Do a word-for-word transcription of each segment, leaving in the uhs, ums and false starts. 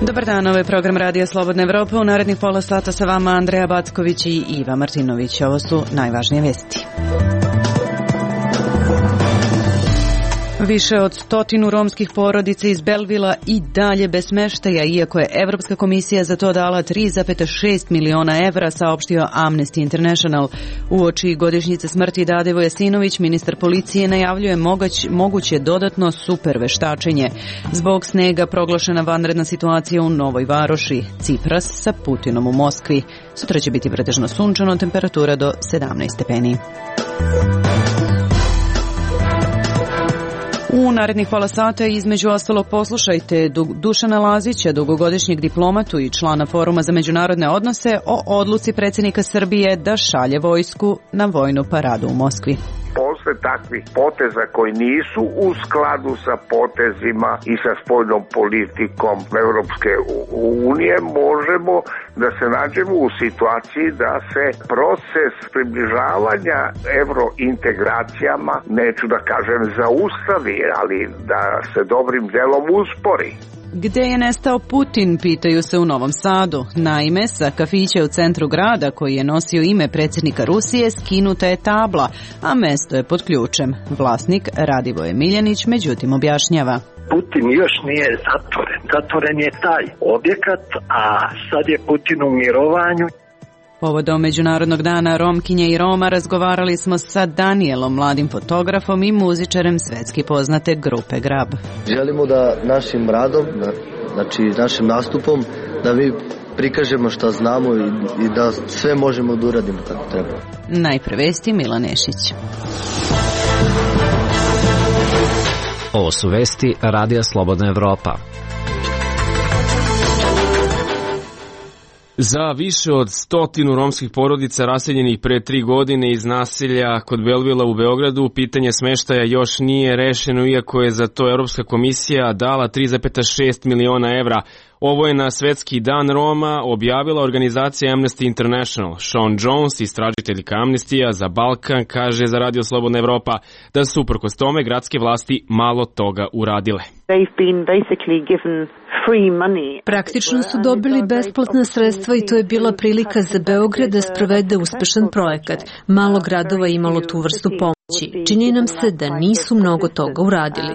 Dobar dan, ovo je program Radija Slobodna Evropa. U narednih pola sata sa vama Andreja Backović i Iva Martinović. Ovo su najvažnije vesti. Više od stotinu romskih porodica iz Belvila i dalje bez smeštaja, iako je Evropska komisija za to dala tri zarez šest miliona evra, saopštio Amnesty International. Uoči godišnjice smrti Dade Vojasinović, ministar policije najavljuje mogać, moguće dodatno super veštačenje. Zbog snega proglašena vanredna situacija u Novoj Varoši. Cipras sa Putinom u Moskvi. Sutra će biti pretežno sunčano, temperatura do sedamnaest stepeni. U narednih pola sata između ostalog poslušajte Dušana Lazića, dugogodišnjeg diplomatu i člana Foruma za međunarodne odnose, o odluci predsjednika Srbije da šalje vojsku na vojnu paradu u Moskvi. Posle takvih poteza koji nisu u skladu sa potezima i sa spoljnom politikom Evropske unije, možemo da se nađemo u situaciji da se proces približavanja evrointegracijama, neću da kažem zaustavi, ali da se dobrim delom uspori. Gde je nestao Putin, pitaju se u Novom Sadu. Naime, sa kafića u centru grada, koji je nosio ime predsjednika Rusije, skinuta je tabla, a mesto je pod ključem. Vlasnik Radivoje Miljanić međutim objašnjava. Putin još nije zatvoren. Zatvoren je taj objekat, a sad je Putin u mirovanju. Povodom Međunarodnog dana Romkinje i Roma razgovarali smo sa Danielom, mladim fotografom i muzičarem svetski poznate grupe Grab. Želimo da našim radom, znači našim nastupom, da mi prikažemo šta znamo i, i da sve možemo da uradimo kako treba. Najpre vesti, Milan Nešić. Ovo su vesti Radija Slobodna Evropa. Za više od stotinu romskih porodica raseljenih pre tri godine iz naselja kod Belvila u Beogradu, pitanje smeštaja još nije rešeno, iako je za to Evropska komisija dala tri zarez šest miliona evra. Ovo je na Svetski dan Roma objavila organizacija Amnesty International. Sean Jones, istražiteljka Amnestija za Balkan, kaže za Radio Slobodna Evropa da su uprkos tome gradske vlasti malo toga uradile. Praktično su dobili besplatna sredstva i to je bila prilika za Beograd da sprovede uspešan projekat. Malo gradova je imalo tu vrstu pomoći. Čini nam se da nisu mnogo toga uradili.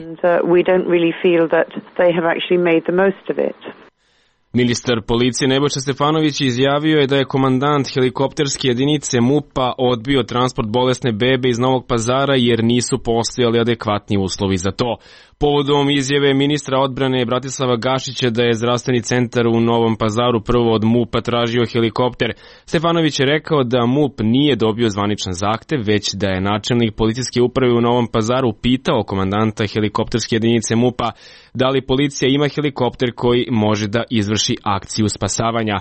Ministar policije Nebojša Stefanović izjavio je da je komandant helikopterske jedinice MUP-a odbio transport bolesne bebe iz Novog Pazara jer nisu postojali adekvatni uslovi za to. Povodom izjave ministra odbrane Bratislava Gašića da je zdravstveni centar u Novom Pazaru prvo od MUP-a tražio helikopter, Stefanović je rekao da MUP nije dobio zvaničan zahtev, već da je načelnik policijske uprave u Novom Pazaru pitao komandanta helikopterske jedinice MUP-a da li policija ima helikopter koji može da izvrši akciju spasavanja.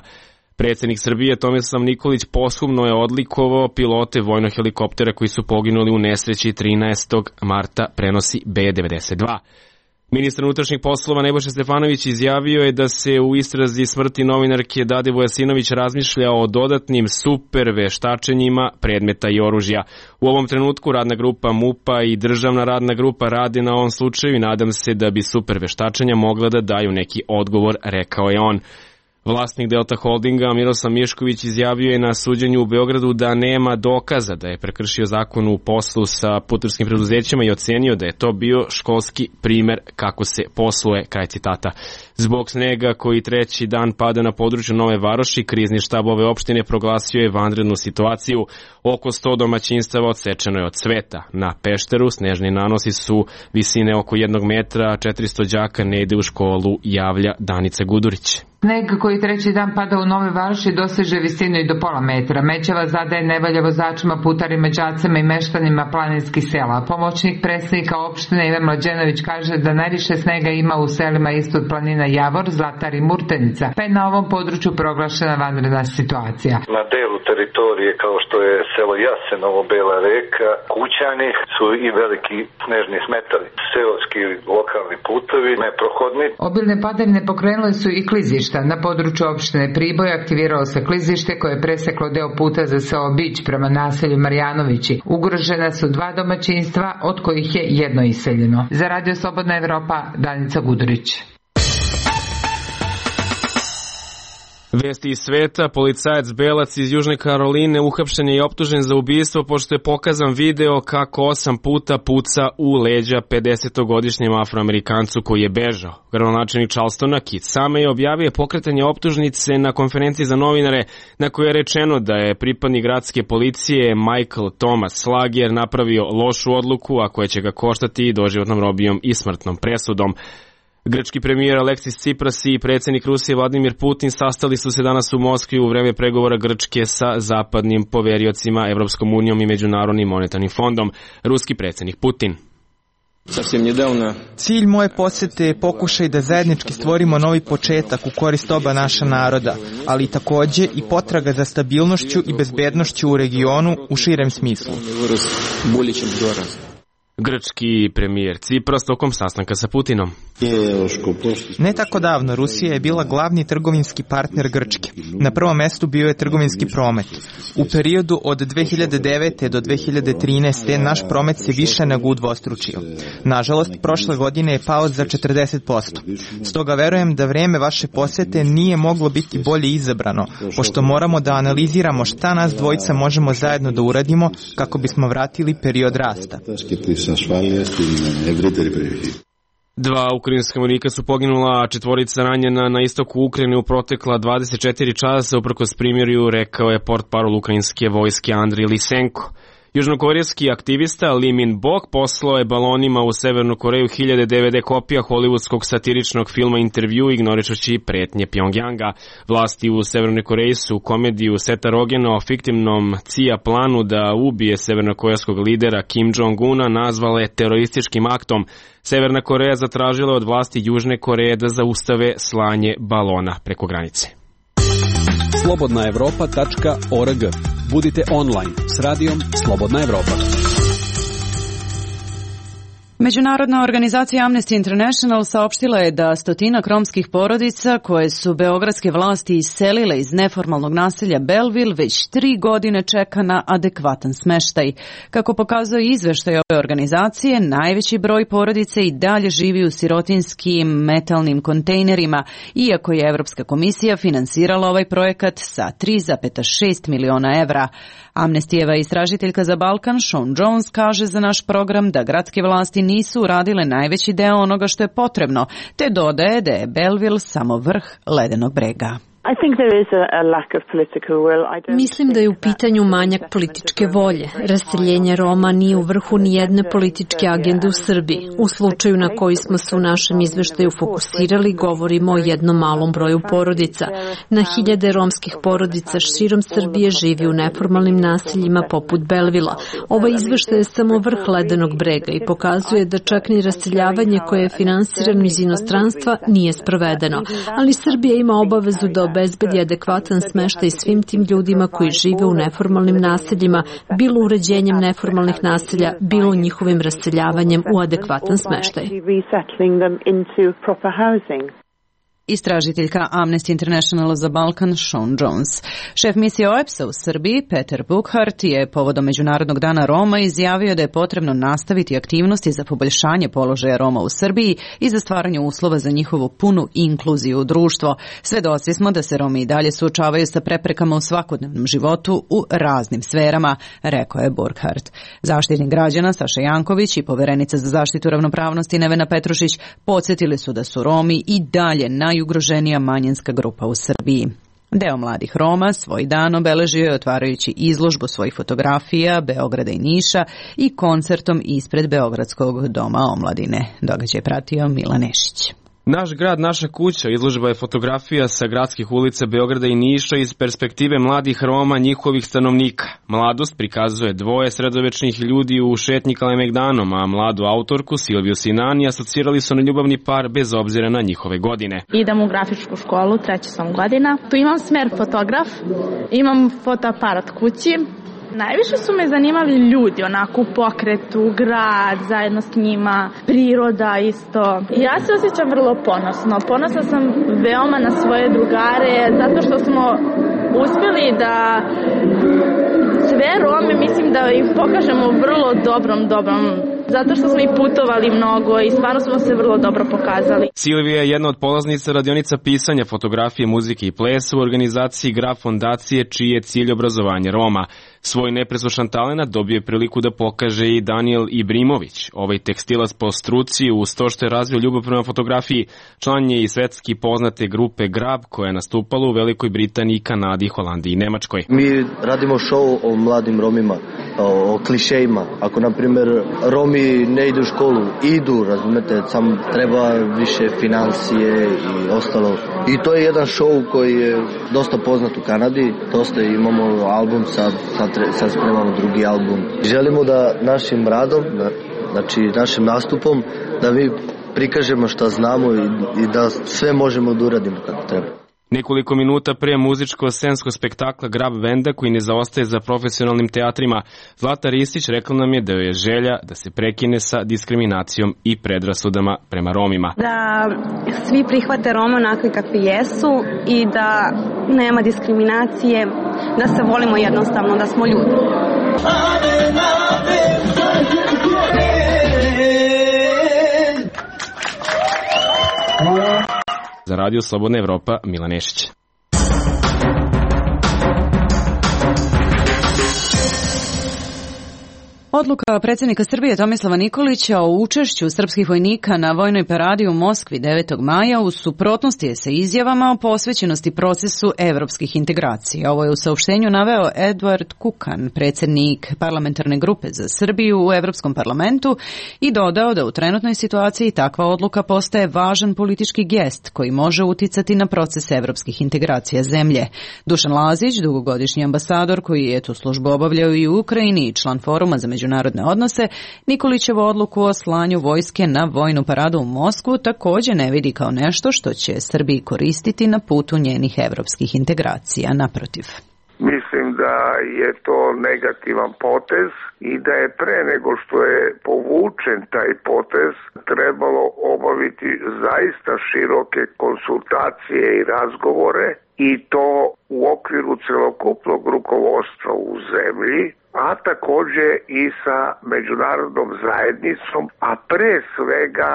Predsjednik Srbije Tomislav Nikolić posthumno je odlikovao pilote vojnog helikoptera koji su poginuli u nesreći trinaestog marta, prenosi B devedeset dva. Ministar unutrašnjih poslova Nebojša Stefanović izjavio je da se u istrazi smrti novinarke Dade Vojasinović razmišlja o dodatnim super veštačenjima predmeta i oružja. U ovom trenutku radna grupa MUP-a i državna radna grupa rade na ovom slučaju i nadam se da bi super veštačenja mogla da daju neki odgovor, rekao je on. Vlasnik Delta Holdinga Miroslav Mišković izjavio je na suđenju u Beogradu da nema dokaza da je prekršio zakon u poslu sa putarskim preduzećima i ocenio da je to bio školski primer kako se posluje, kraj citata. Zbog snega koji treći dan pada na području Nove Varoši, krizni štab ove opštine proglasio je vanrednu situaciju. Oko sto domaćinstava odsečeno je od cveta. Na Pešteru snežni nanosi su visine oko jednog metra, a četiristo đaka ne ide u školu, javlja Danica Gudurić. Sneg koji treći dan pada u Nove Varoši doseže visinu i do pola metra. Mećava zadaje nevolja vozačima, putarima, đacima i meštanima planinskih sela. Pomoćnik predsjednika opštine Ivan Mlađenović kaže da najviše snega ima u selima ispod planina Javor, Zlatar i Murtenica, pa je na ovom području proglašena vanredna situacija. Na delu teritorije kao što je selo Jasenovo, Bela Reka, Kućani su i veliki snežni smetali. Seoski lokalni putovi neprohodni. Obilne padavine pokrenule su i klizišta. Na području opštine Priboj aktiviralo se klizište koje je preseklo deo puta za selo Bić prema naselju Marjanovići. Ugrožena su dva domaćinstva, od kojih je jedno iseljeno. Za Radio Slobodna Evropa, Danica Gudurić. Vesti iz sveta, policajac Belac iz Južne Karoline uhapšen je i optužen za ubistvo pošto je pokazan video kako osam puta puca u leđa pedesetogodišnjem Afroamerikancu koji je bežao. Gradonačelnik Charlestona Keith Same je objavio pokretanje optužnice na konferenciji za novinare na kojoj je rečeno da je pripadnik gradske policije Michael Thomas Slager napravio lošu odluku, a koja će ga koštati doživotnom robijom i smrtnom presudom. Grčki premijer Aleksis Tsipras i predsjednik Rusije Vladimir Putin sastali su se danas u Moskvi u vreme pregovora Grčke sa zapadnim poveriocima, Evropskom unijom i Međunarodnim monetarnim fondom. Ruski predsjednik Putin. Cilj moje posete je pokušaj da zajednički stvorimo novi početak u korist oba naša naroda, ali takođe i potraga za stabilnošću i bezbednošću u regionu u širem smislu. Grčki premijer Tsipras tokom sastanka sa Putinom. Ne tako davno Rusija je bila glavni trgovinski partner Grčke. Na prvom mestu bio je trgovinski promet. U periodu od dve hiljade devete do dve hiljade trinaeste naš promet se više nego udvostručio. Nažalost, prošle godine je pao za četrdeset posto. Stoga verujem da vreme vaše posete nije moglo biti bolje izabrano, pošto moramo da analiziramo šta nas dvojica možemo zajedno da uradimo kako bismo vratili period rasta. Dva ukrajinska vojnika su poginula, a četvorica ranjena na istoku Ukrajine u protekla dvadeset četiri časa, uprkos primirju, rekao je portparol ukrajinske vojske Andrij Lisenko. Južnokorejski aktivista Lee Min-bok poslao je balonima u Severnu Koreju hiljade D V D kopija hollywoodskog satiričnog filma Intervju, ignorišući pretnje Pjongjanga. Vlasti u Severnoj Koreji su komediju Seta Rogena o fiktivnom C I A planu da ubije severnokorejskog lidera Kim Jong-una nazvale terorističkim aktom. Severna Koreja zatražila od vlasti Južne Koreje da zaustave slanje balona preko granice. slobodna evropa tačka org. Budite online s radijom Slobodna Evropa. Međunarodna organizacija Amnesty International saopštila je da stotinak romskih porodica koje su beogradske vlasti iselile iz neformalnog naselja Belleville već tri godine čeka na adekvatan smeštaj. Kako pokazuje izveštaj ove organizacije, najveći broj porodice i dalje živi u sirotinskim metalnim kontejnerima, iako je Evropska komisija finansirala ovaj projekat sa tri zarez šest miliona evra. Amnestijeva istražiteljka za Balkan Sean Jones kaže za naš program da gradske vlasti nisu uradile najveći deo onoga što je potrebno, te dodaje da je Belleville samo vrh ledenog brega. Mislim da je u pitanju manjak političke volje. Raseljenje Roma nije u vrhu ni jedne političke agende u Srbiji. U slučaju na koji smo se u našem izveštaju fokusirali, govorimo o jednom malom broju porodica. Na hiljade romskih porodica širom Srbije živi u neformalnim naseljima poput Belvila. Ovaj izveštaj je samo vrh ledenog brega i pokazuje da čak ni raseljavanje koje je finansirano iz inostranstva nije sprovedeno. Ali Srbija ima obavezu da obezbedi adekvatan smeštaj svim tim ljudima koji žive u neformalnim naseljima, bilo uređenjem neformalnih naselja, bilo njihovim raseljavanjem u adekvatan smeštaj. Istražiteljka Amnesty International za Balkan Sean Jones. Šef misije O E P S-a u Srbiji, Peter Buchart, je povodom Međunarodnog dana Roma izjavio da je potrebno nastaviti aktivnosti za poboljšanje položaja Roma u Srbiji i za stvaranje uslova za njihovu punu inkluziju u društvo. Svedoci smo da se Romi i dalje suočavaju sa preprekama u svakodnevnom životu u raznim sferama, rekao je Buchart. Zaštitnik građana Saša Janković i poverenica za zaštitu ravnopravnosti Nevena Petrušić podsjetili su da su Romi i dalje na najugroženija manjinska grupa u Srbiji. Deo mladih Roma svoj dan obeležio je otvarajući izložbu svojih fotografija Beograda i Niša i koncertom ispred Beogradskog doma omladine. Događaj pratio Milan Nešić. Naš grad, naša kuća izložba je fotografija sa gradskih ulica Beograda i Niša iz perspektive mladih Roma, njihovih stanovnika. Mladost prikazuje dvoje sredovečnih ljudi u šetnji Kalemegdanom, a mladu autorku Silviju Sinani asocirali su na ljubavni par bez obzira na njihove godine. Idem u grafičku školu, treća sam godina. Tu imam smer fotograf, imam fotoaparat kući. Najviše su me zanimali ljudi, onako u pokretu, grad, zajedno s njima, priroda isto. Ja se osjećam vrlo ponosno. Ponosna sam veoma na svoje drugare, zato što smo uspjeli da sve Rome, mislim da ih pokažemo u vrlo dobrom, dobrom zato što smo i putovali mnogo i stvarno smo se vrlo dobro pokazali. Silvija je jedna od polaznica radionica pisanja, fotografije, muzike i plesa u organizaciji Graf fondacije, čiji je cilj obrazovanje Roma. Svoj nepreslušan talenat dobio je priliku da pokaže i Daniel Ibrimović. Ovaj tekstilac po struci, uz to što je razvio ljubav prema fotografiji, član je i svetski poznate grupe Grab, koja je nastupala u Velikoj Britaniji, Kanadi, Holandiji i Nemačkoj. Mi radimo show o mladim Romima, o, o klišejima. Ako, na primjer, Romi ne idu u školu, idu, razumete, sam treba više financije i ostalo. I to je jedan show koji je dosta poznat u Kanadi. Dosta imamo album, sad, sad, sad spremamo drugi album. Želimo da našim radom, znači našim nastupom, da mi prikažemo šta znamo i, i da sve možemo da uradimo kako treba. Nekoliko minuta pre muzičko-scenskog spektakla Grab Benda, koji ne zaostaje za profesionalnim teatrima, Zlata Ristić rekla nam je da joj je želja da se prekine sa diskriminacijom i predrasudama prema Romima. Da svi prihvate Rome onakvi kakvi jesu i da nema diskriminacije, da se volimo jednostavno, da smo ljudi. Za Radio Slobodna Evropa, Milan Nešić. Odluka predsjednika Srbije Tomislava Nikolića o učešću srpskih vojnika na vojnoj paradi u Moskvi devetog maja u suprotnosti je sa izjavama o posvećenosti procesu evropskih integracija. Ovo je u saopštenju naveo Edward Kukan, predsjednik parlamentarne grupe za Srbiju u Evropskom parlamentu, i dodao da u trenutnoj situaciji takva odluka postaje važan politički gest koji može uticati na proces evropskih integracija zemlje. Dušan Lazić, dugogodišnji ambasador koji je tu službu obavljao i u Ukrajini i član foruma za međunarodne odnose, Nikolićevu odluku o slanju vojske na vojnu paradu u Moskvu također ne vidi kao nešto što će Srbiji koristiti na putu njenih evropskih integracija. Naprotiv. Mislim da je to negativan potez i da je pre nego što je povučen taj potez trebalo obaviti zaista široke konsultacije i razgovore, i to u okviru celokupnog rukovodstva u zemlji, a također i sa međunarodnom zajednicom, a pre svega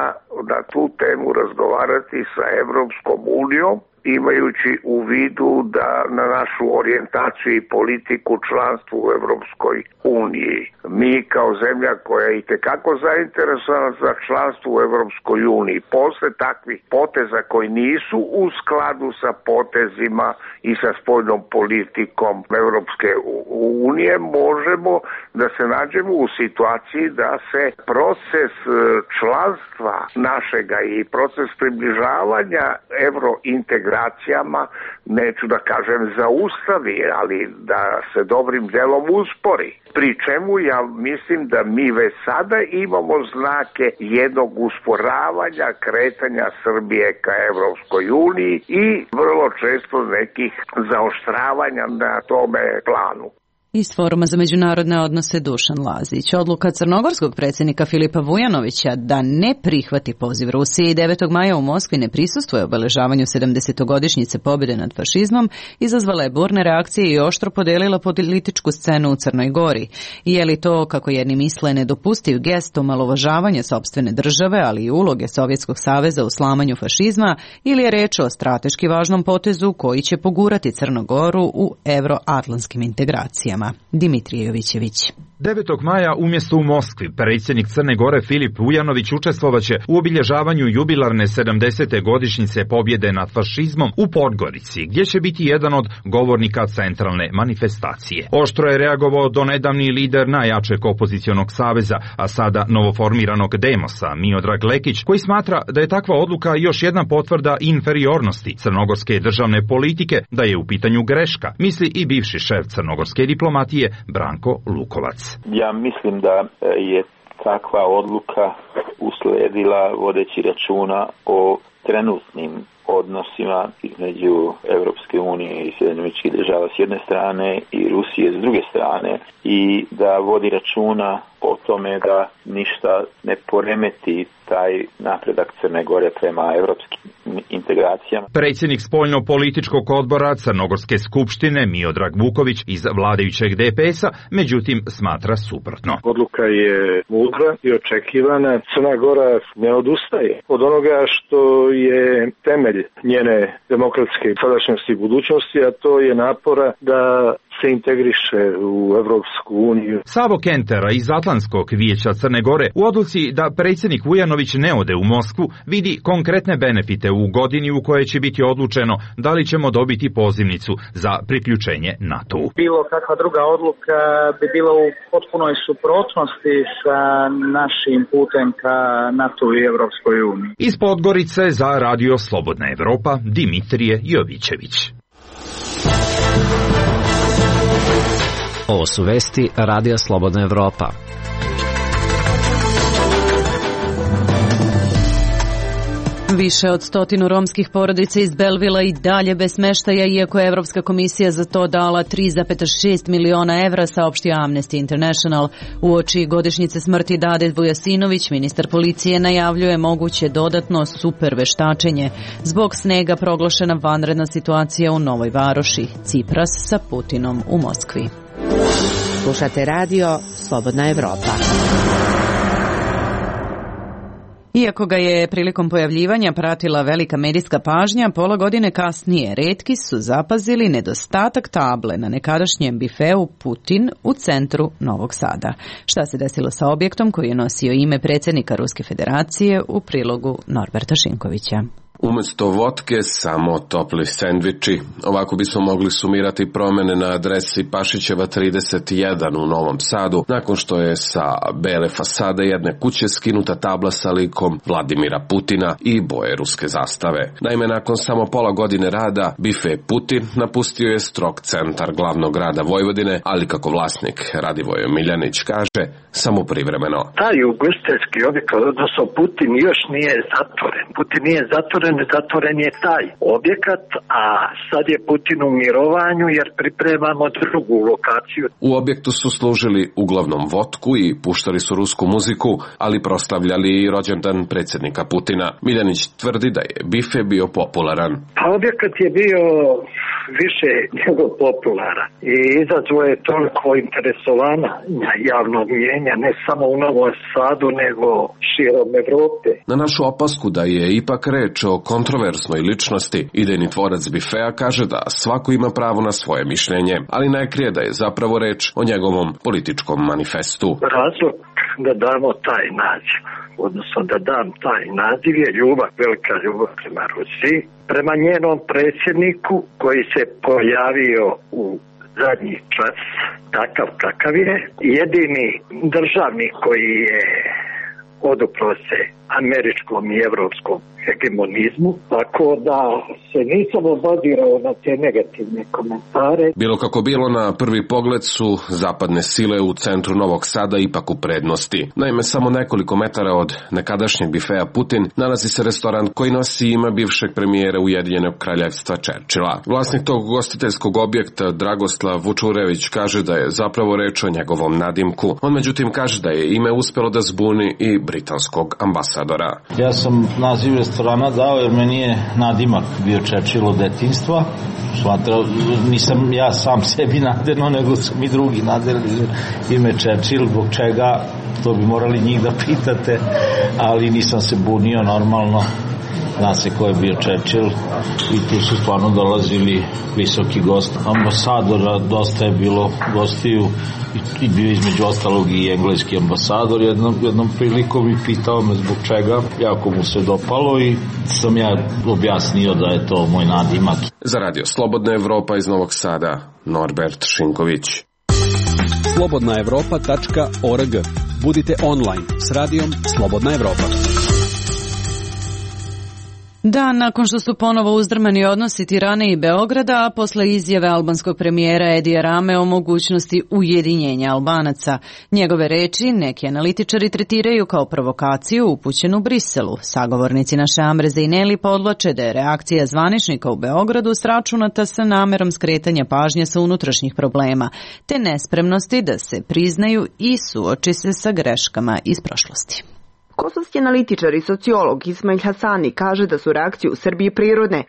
na tu temu razgovarati sa Evropskom unijom, imajući u vidu da na našu orijentaciju i politiku članstvu u Evropskoj uniji. Mi kao zemlja koja je itekako zainteresovana za članstvo u Evropskoj uniji, posle takvih poteza koji nisu u skladu sa potezima i sa spoljnom politikom Evropske unije, možemo da se nađemo u situaciji da se proces članstva našega i proces približavanja evrointegracijama, neću da kažem zaustavi, ali da se dobrim delom uspori. Pri čemu ja mislim da mi već sada imamo znake jednog usporavanja kretanja Srbije ka Evropskoj uniji i vrlo često nekih zaoštravanja na tome planu. Iz Foruma za međunarodne odnose Dušan Lazić. Odluka crnogorskog predsjednika Filipa Vujanovića da ne prihvati poziv Rusije i devetog maja u Moskvi ne prisustvuje obeležavanju sedamdesetogodišnjice pobjede nad fašizmom izazvala je burne reakcije i oštro podelila političku scenu u Crnoj Gori. Je li to, kako jedni misle, nedopustiv gest omalovažavanja sopstvene države, ali i uloge Sovjetskog saveza u slamanju fašizma, ili je reč o strateški važnom potezu koji će pogurati Crnu Goru u evroatlantskim integracijama? Dimitrije Jovićević. devetog maja umjesto u Moskvi, predsjednik Crne Gore Filip Vujanović učestvovaće u obilježavanju jubilarne sedamdesete godišnjice pobjede nad fašizmom u Podgorici, gdje će biti jedan od govornika centralne manifestacije. Oštro je reagovao donedavni lider najjačeg opozicionog saveza, a sada novoformiranog Demosa, Miodrag Lekić, koji smatra da je takva odluka još jedna potvrda inferiornosti crnogorske državne politike, da je u pitanju greška, misli i bivši šef crnogorske diplomatije Branko Lukovac. Ja mislim da je takva odluka usledila vodeći računa o trenutnim odnosima između Evropske unije i Sjedinjenih Američkih Država s jedne strane i Rusije s druge strane, i da vodi računa o tome da ništa ne poremeti taj napredak Crne Gore prema evropskim integracijama. Predsjednik spoljno-političkog odbora Crnogorske skupštine Miodrag Vuković iz vladajućeg D P S-a, međutim, smatra suprotno. Odluka je mudra i očekivana. Crna Gora ne odustaje od onoga što je temelj njene demokratske sadašnjosti i budućnosti, a to je napora da se integriše u Evropsku uniju. Savo Kentera iz Atlantskog vijeća Crne Gore u odluci da predsjednik Vujanović ne ode u Moskvu vidi konkretne benefite u godini u kojoj će biti odlučeno da li ćemo dobiti pozivnicu za priključenje NATO-u. Bilo kakva druga odluka bi bila u potpunoj suprotnosti sa našim putem ka NATO i Evropskoj uniji. Iz Podgorice za Radio Slobodna Evropa, Dimitrije Jovićević. Ovo su vesti Radija Slobodna Evropa. Više od stotinu romskih porodica iz Belvila i dalje bez smeštaja, iako je Evropska komisija za to dala tri zarez šest miliona evra, saopštio Amnesty International. Uoči godišnjice smrti Dade Vujasinović, ministar policije najavljuje moguće dodatno super veštačenje. Zbog snega proglašena vanredna situacija u Novoj Varoši. Cipras sa Putinom u Moskvi. Slušate radio Slobodna Evropa. Iako ga je prilikom pojavljivanja pratila velika medijska pažnja, pola godine kasnije retki su zapazili nedostatak table na nekadašnjem bifeu Putin u centru Novog Sada. Šta se desilo sa objektom koji je nosio ime predsjednika Ruske federacije, u prilogu Norberta Šinkovića. Umesto vodke, samo topli sendviči. Ovako bismo mogli sumirati promjene na adresi Pašićeva trideset jedan u Novom Sadu, nakon što je sa bele fasade jedne kuće skinuta tabla sa likom Vladimira Putina i boje ruske zastave. Naime, nakon samo pola godine rada, bife Putin napustio je strog centar glavnog grada Vojvodine, ali kako vlasnik Radivoje Miljanić kaže, samo privremeno. Taj ugostiteljski objekat, odnosno Putin, još nije zatvoren. Putin nije zatvoren, zatvoren je taj objekat, a sad je Putin u mirovanju jer pripremamo drugu lokaciju. U objektu su služili uglavnom vodku i puštali su rusku muziku, ali proslavljali i rođendan predsjednika Putina. Miljanić tvrdi da je bife bio popularan. Pa objekat je bio više nego popularan i izazvao je toliko interesovanja javnog mjenja, ne samo u Novom Sadu, nego širom Evrope. Na našu opasku da je ipak reč o kontroverznoj ličnosti, idejni tvorac bifea kaže da svako ima pravo na svoje mišljenje, ali ne krije da je zapravo reč o njegovom političkom manifestu. Razlog da damo taj naziv, odnosno da dam taj naziv je ljubav, velika ljubav prema Rusiji, prema njenom predsjedniku koji se pojavio u zadnji čas takav kakav je, jedini državnik koji je odupro se američkom i evropskom hegemonizmu, tako da se nisam obadirao na te negativne komentare. Bilo kako bilo, na prvi pogled su zapadne sile u centru Novog Sada ipak u prednosti. Naime, samo nekoliko metara od nekadašnjeg bifea Putin nalazi se restoran koji nosi ime bivšeg premijera Ujedinjenog kraljevstva Churchilla. Vlasnik tog ugostiteljskog objekta Dragoslav Vučurević kaže da je zapravo reč o njegovom nadimku. On međutim kaže da je ime uspelo da zbuni i britanskog ambasadora. Ja sam naziv restorana dao jer meni je nadimak bio Churchill od detinjstva. Smatrao, nisam ja sam sebi naderno, nego su mi drugi naderili ime Churchill, zbog čega, to bi morali njih da pitate, ali nisam se bunio, normalno. Zna se ko je bio Churchill i tu su stvarno dolazili visoki gosti. Ambasadora dosta je bilo gostiju i bio između ostalog i engleski ambasador. Jednom, jednom prilikom i pitao me zbog čega, jako mu se dopalo i sam ja objasnio da je to moj nadimak. Za Radio Slobodna Evropa iz Novog Sada, Norbert Šinković. slobodna evropa tačka org. Budite online s radijom Slobodna Evropa. Dan nakon što su ponovo uzdrmani odnosi Tirane i Beograda, a posle izjave albanskog premijera Edija Rame o mogućnosti ujedinjenja Albanaca. Njegove reči neki analitičari tretiraju kao provokaciju upućenu Briselu. Sagovornici naše Amre Zejneli podvlače da je reakcija zvaničnika u Beogradu sračunata sa namerom skretanja pažnje sa unutrašnjih problema, te nespremnosti da se priznaju i suoči se sa greškama iz prošlosti. Kosovski analitičar i sociolog Ismail Hasani kaže da su reakcije u Srbiji prirodne.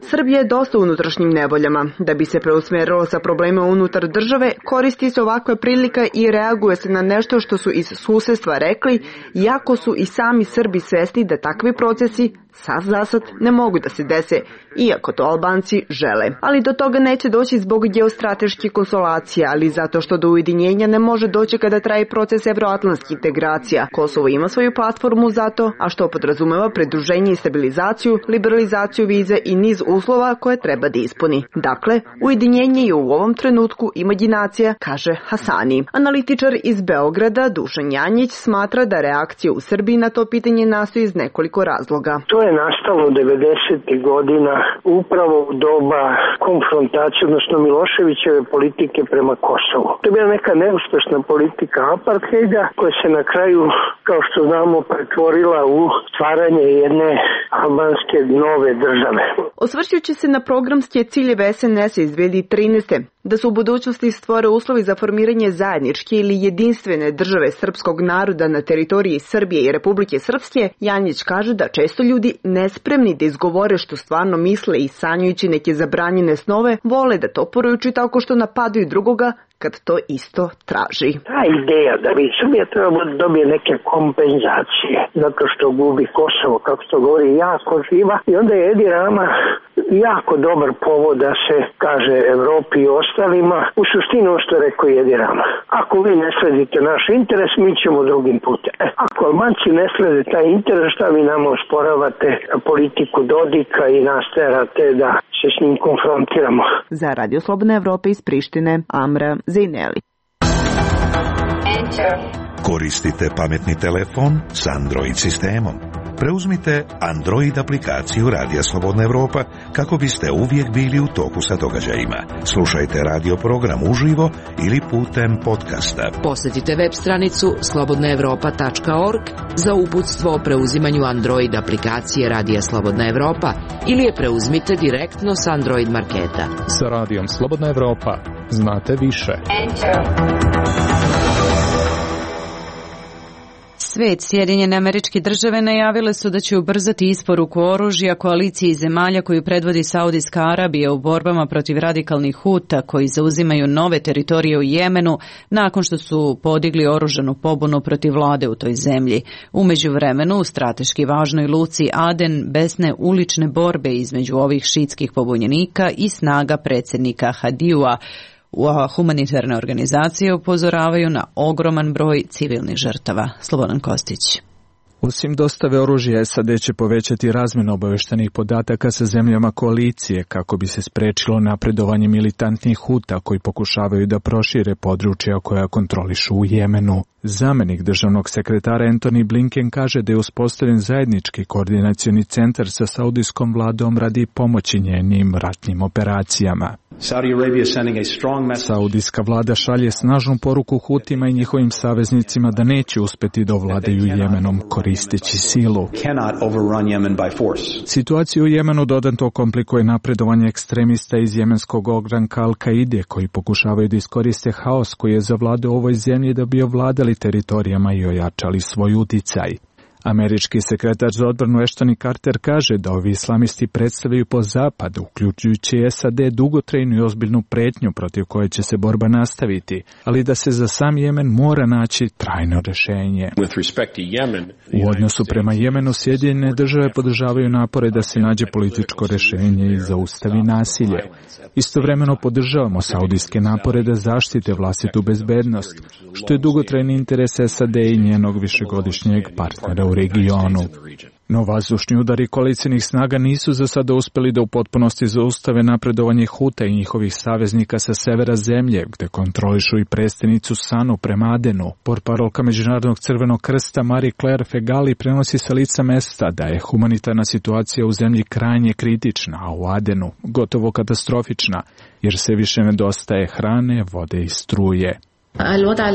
Srbija je dosta u unutrašnjim nevoljama. Da bi se preusmerilo sa problema unutar države, koristi se ovakva prilika i reaguje se na nešto što su iz susedstva rekli, iako su i sami Srbi svesni da takvi procesi sad zasad ne mogu da se dese, iako to Albanci žele. Ali do toga neće doći zbog geostrateških konsolacija, ali zato što do ujedinjenja ne može doći kada traje proces evroatlantskih integracija. Kosovo ima svoju platformu za to, a što podrazumeva pridruženje i stabilizaciju, liberalizaciju vize i niz uslova koje treba da ispuni. Dakle, ujedinjenje je u ovom trenutku imaginacija, kaže Hasani. Analitičar iz Beograda Dušan Janjić smatra da reakcija u Srbiji na to pitanje nastoji iz nekoliko razloga. To je nastalo devedesetih godina upravo u doba konfrontacije, odnosno Miloševićeve politike prema Kosovu. To je bila neka neuspešna politika apartheida koja se na kraju, kao što znamo, pretvorila u stvaranje jedne albanske nove države. Osvrćući se na programske ciljeve es en es iz dve hiljade trinaeste. Da su u budućnosti stvore uslovi za formiranje zajedničke ili jedinstvene države srpskog naroda na teritoriji Srbije i Republike Srpske, Janjić kaže da često ljudi nespremni da izgovore što stvarno misle i sanjujući neke zabranjene snove, vole da to poručuju tako što napadaju drugoga kad to isto traži. Ta ideja da bi Srbija treba da dobije neke kompenzacije zato što gubi Kosovo, kako to govori, jako živa, i onda je Edi Rama jako dobar povod da se kaže Evropi i ostalima, u suštini ovo što je rekao Edi Rama. Ako vi ne sledite naš interes, mi ćemo drugim putem. E, ako Albanci ne slede taj interes, šta vi nama osporavate politiku Dodika i nas terate da se s njim konfrontiramo? Za Radio Slobodna Evropa iz Prištine, Amra Zejneli. Koristite pametni telefon s Android sistemom. Preuzmite Android aplikaciju Radija Slobodna Evropa kako biste uvijek bili u toku sa događajima. Slušajte radio program uživo ili putem podcasta. Posjetite web stranicu slobodna evropa tačka org za uputstvo o preuzimanju Android aplikacije Radija Slobodna Evropa ili je preuzmite direktno s Android marketa. Sa Radijom Slobodna Evropa znate više. Svet, Sjedinjene Američke Države najavile su da će ubrzati isporuku oružja koaliciji zemalja koju predvodi Saudijska Arabija u borbama protiv radikalnih Huta koji zauzimaju nove teritorije u Jemenu nakon što su podigli oružanu pobunu protiv vlade u toj zemlji. U međuvremenu u strateški važnoj luci Aden besne ulične borbe između ovih šitskih pobunjenika i snaga predsjednika Hadijua. Humanitarne organizacije upozoravaju na ogroman broj civilnih žrtava. Slobodan Kostić. Osim dostave oružja, S A D će povećati razmjenu obavještajnih podataka sa zemljama koalicije kako bi se sprečilo napredovanje militantnih Huta koji pokušavaju da prošire područja koja kontrolišu u Jemenu. Zamenik državnog sekretara Antony Blinken kaže da je uspostavljen zajednički koordinacioni centar sa saudijskom vladom radi pomoći njenim ratnim operacijama. Saudijska vlada šalje snažnu poruku Hutima i njihovim saveznicima da neće uspeti da ovladaju Jemenom koristeći silu. Situaciju u Jemenu dodatno komplikuje napredovanje ekstremista iz jemenskog ogranka Al-Kaide koji pokušavaju da iskoriste haos koji je zavladao u ovoj zemlji da bi ovladali teritorijama i ojačali svoj uticaj. Američki sekretar za odbranu Ashton Carter kaže da ovi islamisti predstavljaju po zapadu, uključujući S A D, dugotrajnu i ozbiljnu pretnju protiv koje će se borba nastaviti, ali da se za sam Jemen mora naći trajno rješenje. U odnosu prema Jemenu, Sjedinjene države podržavaju napore da se nađe političko rješenje i zaustavi nasilje. Istovremeno podržavamo saudijske napore da zaštite vlastitu bezbednost, što je dugotrajni interes S A D i njenog višegodišnjeg partnera u regionu. No vazdušni udari koalicijnih snaga nisu za sada uspjeli da u potpunosti zaustave napredovanje Huta i njihovih saveznika sa severa zemlje, gde kontrolišu i prestonicu Sanu prema Adenu. Portparolka Međunarodnog crvenog krsta Marie Claire Fegali prenosi sa lica mesta da je humanitarna situacija u zemlji krajnje kritična, a u Adenu gotovo katastrofična, jer se više nedostaje hrane, vode i struje.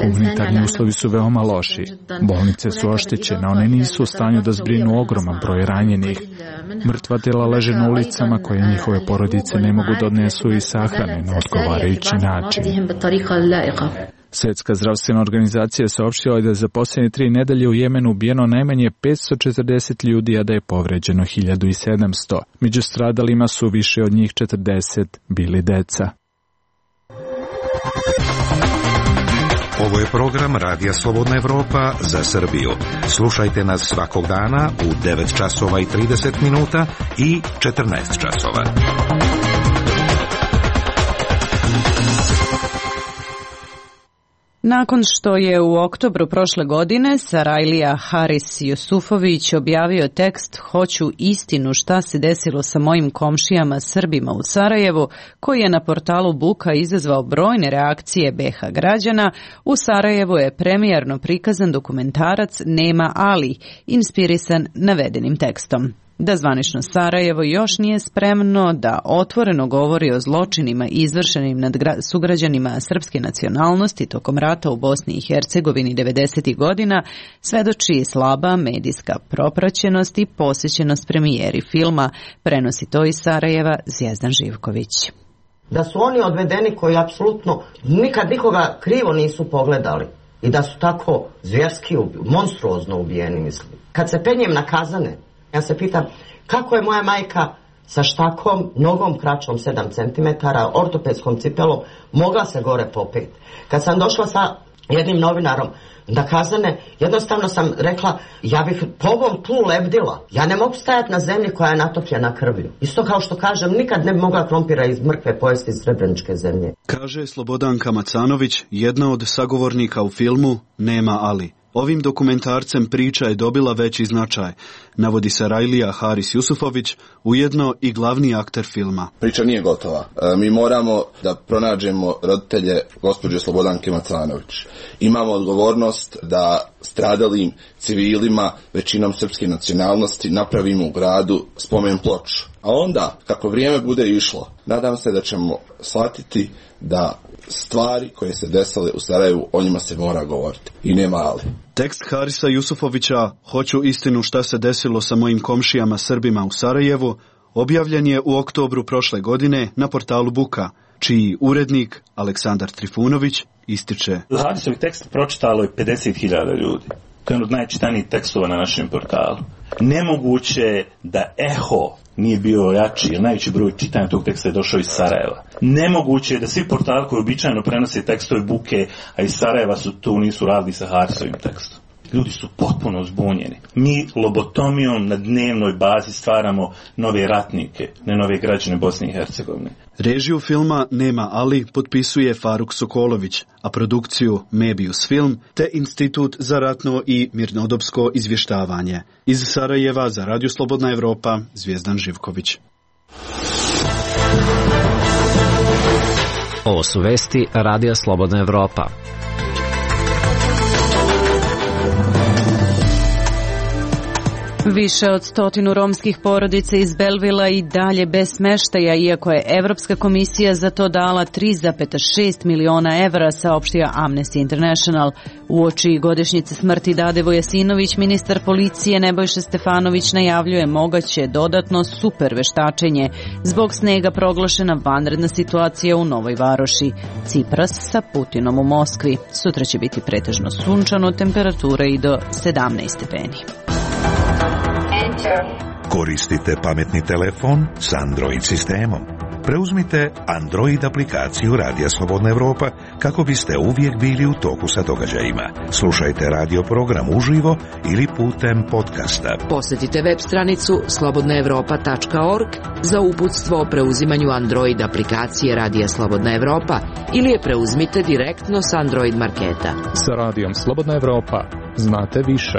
Humanitarni uslovi su veoma loši. Bolnice su oštećene, one nisu u stanju da zbrinu ogroman broj ranjenih. Mrtva tela leže na ulicama koje njihove porodice ne mogu da odnesu i sahrane na odgovarajući način. Svjetska zdravstvena organizacija saopštila je da je za posljednje tri nedelje u Jemenu ubijeno najmanje petsto četrdeset ljudi, a da je povređeno hiljadu sedamsto. Među stradalima su više od njih četrdeset bili deca. Ovo je program Radija Slobodna Evropa za Srbiju. Slušajte nas svakog dana u devet časova i trideset minuta i četrnaest časova. Nakon što je u oktobru prošle godine Sarajlija Haris Jusufović objavio tekst Hoću istinu šta se desilo sa mojim komšijama Srbima u Sarajevu, koji je na portalu Buka izazvao brojne reakcije be ha građana, u Sarajevu je premijerno prikazan dokumentarac Nema Ali, inspirisan navedenim tekstom. Da zvanično Sarajevo još nije spremno da otvoreno govori o zločinima izvršenim nad sugrađanima srpske nacionalnosti tokom rata u Bosni i Hercegovini devedesetih godina, svedoči slaba medijska propraćenost i posjećenost premijeri filma, prenosi to iz Sarajeva Zvijezdan Živković. Da su oni odvedeni koji apsolutno nikad nikoga krivo nisu pogledali i da su tako zvjerski, monstruozno ubijeni, mislim. Kad se penjem na kazane, ja se pitam kako je moja majka sa štakom, nogom kraćom sedam centimetara, ortopedskom cipelom, mogla se gore popet. Kad sam došla sa jednim novinarom na kazane, jednostavno sam rekla, ja bih po ovom tlu lebdila. Ja ne mogu stajati na zemlji koja je natopljena krvlju. Isto kao što kažem, nikad ne bi mogla krompira iz mrkve pojesti iz srebreničke zemlje. Kaže Slobodanka Macanović, jedna od sagovornika u filmu Nema Ali. Ovim dokumentarcem priča je dobila veći značaj, navodi Sarajlija Haris Jusufović, ujedno i glavni akter filma. Priča nije gotova. E, mi moramo da pronađemo roditelje gospođe Slobodanke Macanović. Imamo odgovornost da stradalim civilima, većinom srpske nacionalnosti, napravimo u gradu spomen ploču. A onda, kako vrijeme bude išlo, nadam se da ćemo shvatiti da stvari koje se desile u Sarajevu, o njima se mora govoriti. I nema ali. Tekst Harisa Jusufovića Hoću istinu šta se desilo sa mojim komšijama Srbima u Sarajevu objavljen je u oktobru prošle godine na portalu Buka, čiji urednik Aleksandar Trifunović ističe. Harisovi tekst pročitalo je pedeset hiljada ljudi. To je od najčitanijih tekstova na našem portalu. Nemoguće je da eho nije bio jači, jer najveći broj čitanja tog teksta je došao iz Sarajeva. Nemoguće je da svi portali koji običajno prenose tekstove Buke, a iz Sarajeva su tu nisu radili sa Harisovim tekstom. Ljudi su potpuno zbunjeni. Mi lobotomijom na dnevnoj bazi stvaramo nove ratnike, ne nove građane Bosne i Hercegovine. Režiju filma Nema Ali potpisuje Faruk Sokolović, a produkciju Mebius Film te Institut za ratno i mirnodopsko izvještavanje. Iz Sarajeva za Radio Slobodna Evropa, Zvijezdan Živković. Ovo su vesti Radija Slobodna Evropa. Više od stotinu romskih porodica iz Belvila i dalje bez smeštaja, iako je Evropska komisija za to dala tri zarez šest miliona evra, saopštio Amnesty International. Uoči godišnjice smrti Dade Vojasinović, ministar policije Nebojša Stefanović najavljuje moguće dodatno super veštačenje. Zbog snega proglašena vanredna situacija u Novoj Varoši. Cipras sa Putinom u Moskvi. Sutra će biti pretežno sunčano, temperatura i do sedamnaest stepeni. Koristite pametni telefon s Android sistemom. Preuzmite Android aplikaciju Radija Slobodna Evropa kako biste uvijek bili u toku sa događajima. Slušajte radio program uživo ili putem podcasta. Posjetite web stranicu slobodna evropa tačka org za uputstvo o preuzimanju Android aplikacije Radija Slobodna Evropa ili je preuzmite direktno s Android marketa. Sa Radijom Slobodna Evropa znate više.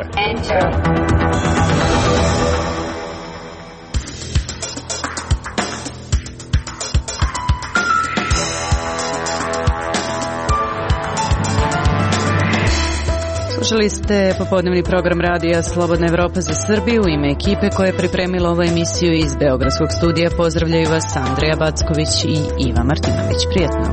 Slušali ste popodnevni program Radija Slobodna Evropa za Srbiju. U ime ekipe koja je pripremila ovu emisiju iz Beogradskog studija pozdravljaju vas Andreja Backović i Iva Martinović. Prijetno.